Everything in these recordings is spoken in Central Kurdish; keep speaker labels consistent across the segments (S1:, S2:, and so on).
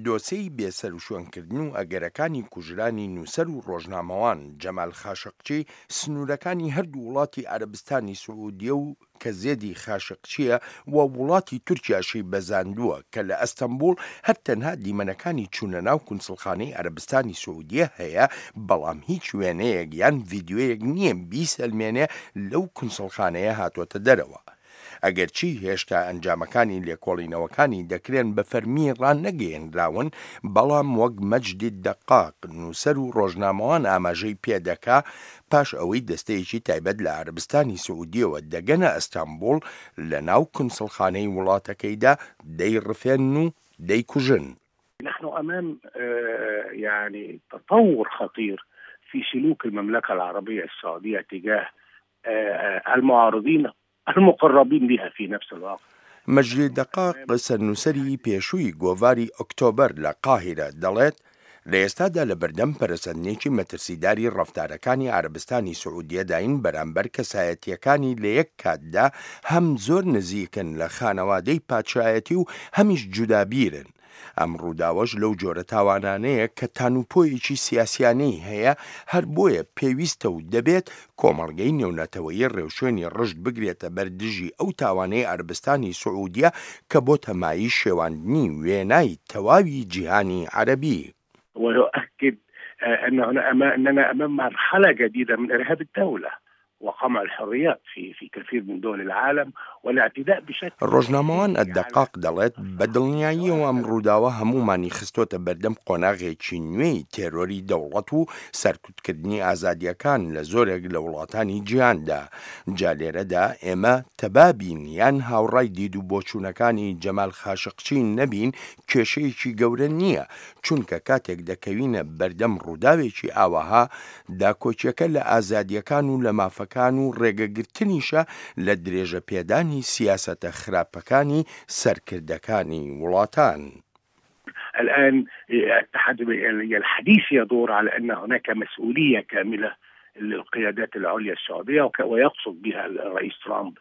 S1: دۆسێی بێسەروشوێنکردن و ئەگەرەکانی کوژرانی نووسەر و ڕۆژنامەوان جەمال خاشقچی سنوورەکانی هەردوو وڵاتی عەرەبستانی سعودیە و کە زێدی خاشقچییە و وڵاتی تورکیاشی بەزاندووە کە لە ئەستەنبوڵ هەر تەنها دیمەنەکانی چوونە ناو کونسڵخانەی عەرەبستانی سعودیە هەیە بەڵام هیچ وێنەیەک یان ڤیدیۆیەک نییە بیسەلمێنێ لەو کونسڵخانەیە هاتۆتە دەرەوە. ئەگەرچی هێشتا ئەنجامەکانی لێکۆڵینەوەکانی دەکرێن بە فەرمی ڕانەگەیەنراون، بەڵام وەک مەجدی دەقاق، نووسەر و ڕۆژنامەوان ئاماژەی پێدەکا، پاش ئەوەی دەستەیەکی تایبەت لە عەرەبستانی سعودیەوە دەگەنە ئەستانبوڵ، لە ناو کونسڵخانەی وڵاتەکەیدا دەیڕفێنن و دەیکوژن.
S2: نحن أمام يعني تطور خطير في سلوك المملكة العربية السعودية تجاه المعارضين المقربين بها في نفس الوقت.
S1: مەجید دەقاق، سەرنووسەری پێشووی گۆڤاری ئۆکتۆبەر لە قاهیرە، دەڵێت، لە ئێستادا لە بەردەم پەرەسەندنێکی مەترسیداری ڕەفتارەکانی عەرەبستانی سعودیەداین بەرامبەر کەسایەتییەکانی لە یەک کاتدا هەم زۆر نزیکن لە خانەوادەی پادشایەتی و هەمیش جودابیرن. ئەم ڕووداوەش لەو جۆرە تاوانانەیە کە تانوپۆیەکی سیاسیانەی هەیە، هەر بۆیە پێویستە و دەبێت کۆمەڵگەی نێونەتەوەیی ڕێوشوێنی ڕژد بگرێتە بەر دژی ئەو تاوانەی عەرەبستانی سعودیە کە بۆتە مایەی شێواندنی وێنای تەواوی جیهانی عەرەبی.
S2: ويؤكد أن أننا أمام مرحلة جديدة من إرهاب الدولة وقمع الحريات في في كثير من دول العالم والاعتداء بشكل
S1: ڕۆژنامەوان الدقاق دەڵێت، بە دڵنیاییەوە ئەم ڕووداوە هەموومانی خستۆتە بەردەم قۆناغێکی نوێی تێرۆری دەوڵەت و سەرکوتکردنی ئازادییەکان لە زۆرێک لە وڵاتانی جیهاندا، جا لێرەدا ئێمە تەبا بین یان هاوڕای دید و بۆچوونەکانی جەمال خاشقچی نەبین کێشەیەکی گەورە نییە، چونکە کاتێک دەکەوینە بەردەم ڕووداوێکی ئاوەها، داکۆکیەکە لە ئازادیەکان و لە مافەکان و ڕێگەگرتنیشە لە درێژەپێدانی سیاسەتە خراپەکانی سەرکردەکانی وڵاتان.
S2: الآن الحديث يدور على أن هناك مسؤولية كاملة للقيادات العليا السعودية ويقصد بها الرئيس ترامب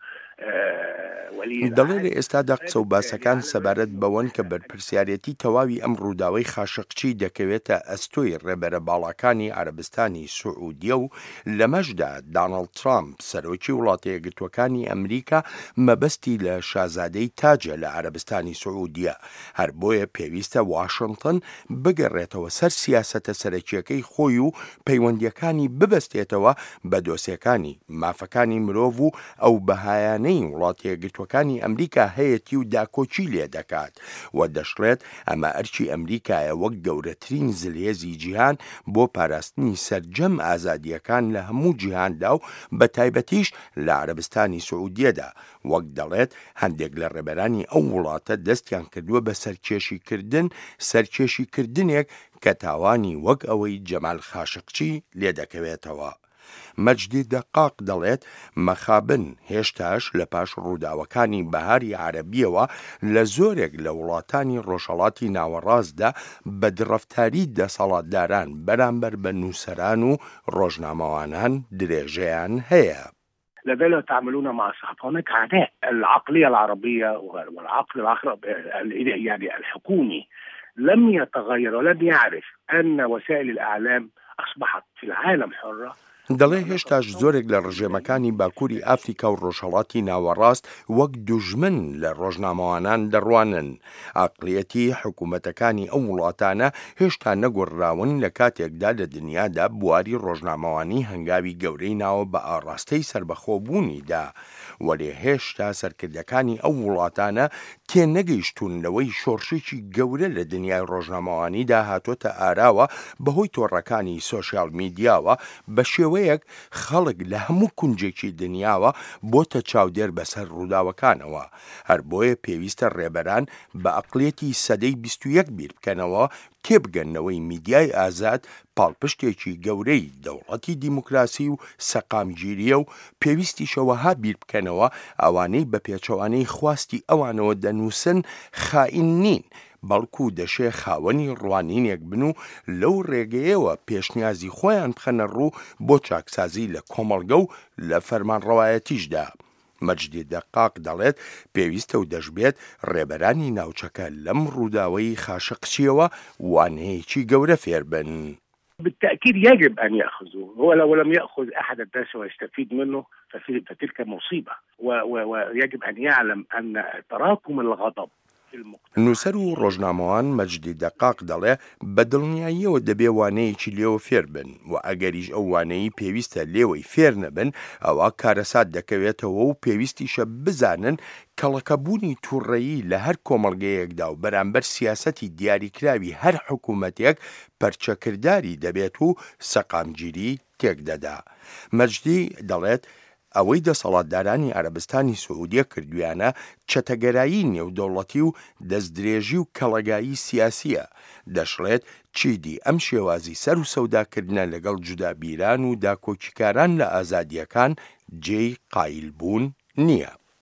S1: دەڵێ لە ئێستادا قسە و باسەکان سەبارەت بەوەن کە بەرپرسیارێتی تەواوی ئەم ڕووداوەی خاشقچی دەکەوێتە ئەستۆی ڕێبەرە باڵاکانی عەرەبستانی سعودیە و لەمەشدا دانڵد ترامپ سەرۆکی وڵاتە یەکگرتووەکانی ئەمریکا مەبەستی لە شازادەی تاجە لە عەرەبستانی سعودیە هەر بۆیە پێویستە واشنتن بگەڕێتەوە سەر سیاسەتە سەرەکییەکەی خۆی و پەیوەندییەکانی ببەستێتەوە بە دۆسێکانی مافەکانی مرۆڤ و ئەو بەهایانەی وڵاتەیەکگرتووەکانی ئەمریکا هەیەتی و داکۆکی لێدەکات و دەشڵێت ئەمە ئەرکی ئەمریکایە وەک گەورەترین زلهێزی جیهان بۆ پاراستنی سەرجەم ئازادییەکان لە هەموو جیهاندا و بەتایبەتیش لە عەرەبستانی سعودیەدا وەک دەڵێت هەندێک لە ڕێبەرانی ئەو وڵاتە دەستیان کردووە بە سەرکێشیکردن، سەرکێشیکردنێک کە تاوانی وەک ئەوەی جەمال خاشقچی لێدەکەوێتەوە. مەجدی دەقاق دەڵێت مەخابن هێشتاش لە پاش ڕووداوەکانی بەهاری عەرەبییەوە لە زۆرێک لە وڵاتانی ڕۆژهەڵاتی ناوەڕاستدا بەدڕەفتاری دەسەڵاتداران بەرامبەر بە نووسەران و ڕۆژنامەوانان درێژەیان هەیە.
S2: لا زالوا يتعاملون مع الصحافة هناك عداء العقلية العربية والعقل العربي يعني الحكومي لم يتغير ولم يعرف أن وسائل الإعلام أصبحت في العالم حرة
S1: دەڵێ هێشتاش زۆرێک لە ڕژێمەکانی باکووری ئافریکا و ڕۆژهەڵاتی ناوەڕاست وەک دوژمن لە ڕۆژنامەوانان دەڕوانن. عەقڵیەتی حکوومەتەکانی ئەو وڵاتانە هێشتا نەگۆڕراون لە کاتێکدا لە دنیادا بواری ڕۆژنامەوانی هەنگاوی گەورەی ناوە بە ئاڕاستەی سەربەخۆبوونیدا وەلێ هێشتا سەرکردەکانی ئەو وڵاتانە تێنەگەیشتوون لەوەی شۆڕشێکی گەورە لە دنیای ڕۆژنامەوانیدا هاتۆتە ئاراوە بەهۆی تۆڕەکانی سۆشیال میدیاوە بە شێوەیەک خەڵک لە هەموو کونجێکی دنیاوە بۆتە چاودێر بەسەر ڕووداوەکانەوە. هەر بۆیە پێویستە ڕێبەران بە ئەقڵیەتی سەدەی 21 بیر بکەنەوە، تێبگەن لەوەی میدیای ئازاد پاڵپشتێکی گەورەی دەوڵەتی دیموکراسی و سەقامگیرییە و پێویستیشە وەها بیر بکەنەوە ئەوانەی بە پێچەوانەی خواستی ئەوانەوە دەنووسن خائین نین بەڵکو دەشێ خاوەنی ڕوانینێک بن و لەو ڕێگەیەوە پێشنیازی خۆیان بخەنە ڕوو بۆ چاکسازی لە کۆمەڵگە و لە فەرمانڕەوایەتیشدا. مەجدی دەقاق دەڵێت، پێویستە و دەشبێت ڕێبەرانی ناوچەکە لەم ڕووداوەی خاشقچییەوە وانەیەکی گەورە فێربن.
S2: بالتأكيد يجب أن يأخذوا هو لو لم يأخذ أحد الدرس ويستفيد منه فتلك مصيبة ويجب أن يعلم أن تراكم الغضب
S1: نووسەر و ڕۆژنامەوان مەجدی دەقاق دەڵێ، بە دڵنیاییەوە دەبێ وانەیەکی لێوە فێر بن و ئەگەریش ئەو وانەیەی پێویستە لێوەی فێر نەبن ئەوا کارەسات دەکەوێتەوە و پێویستیشە بزانن کەڵەکەبوونی تووڕەیی لە هەر کۆمەڵگەیەکدا و بەرامبەر سیاسەتی دیاریکراوی هەر حکوومەتێک پەرچەکرداری دەبێت و سەقامگیری تێکدەدا. مەجدی دەڵێت، ئەوەی دەسەڵاتدارانی عەرەبستانی سعودیە کردویانە چەتەگەرایی نێودەوڵەتی و دەستدرێژی و کەڵەگایی سیاسیە، دەشڵێت چیدی ئەم شێوازی سەر و سەوداکردنە لەگەڵ جودابیران و داکۆکیکاران لە ئازادیەکان جێی قایل بوون نیە.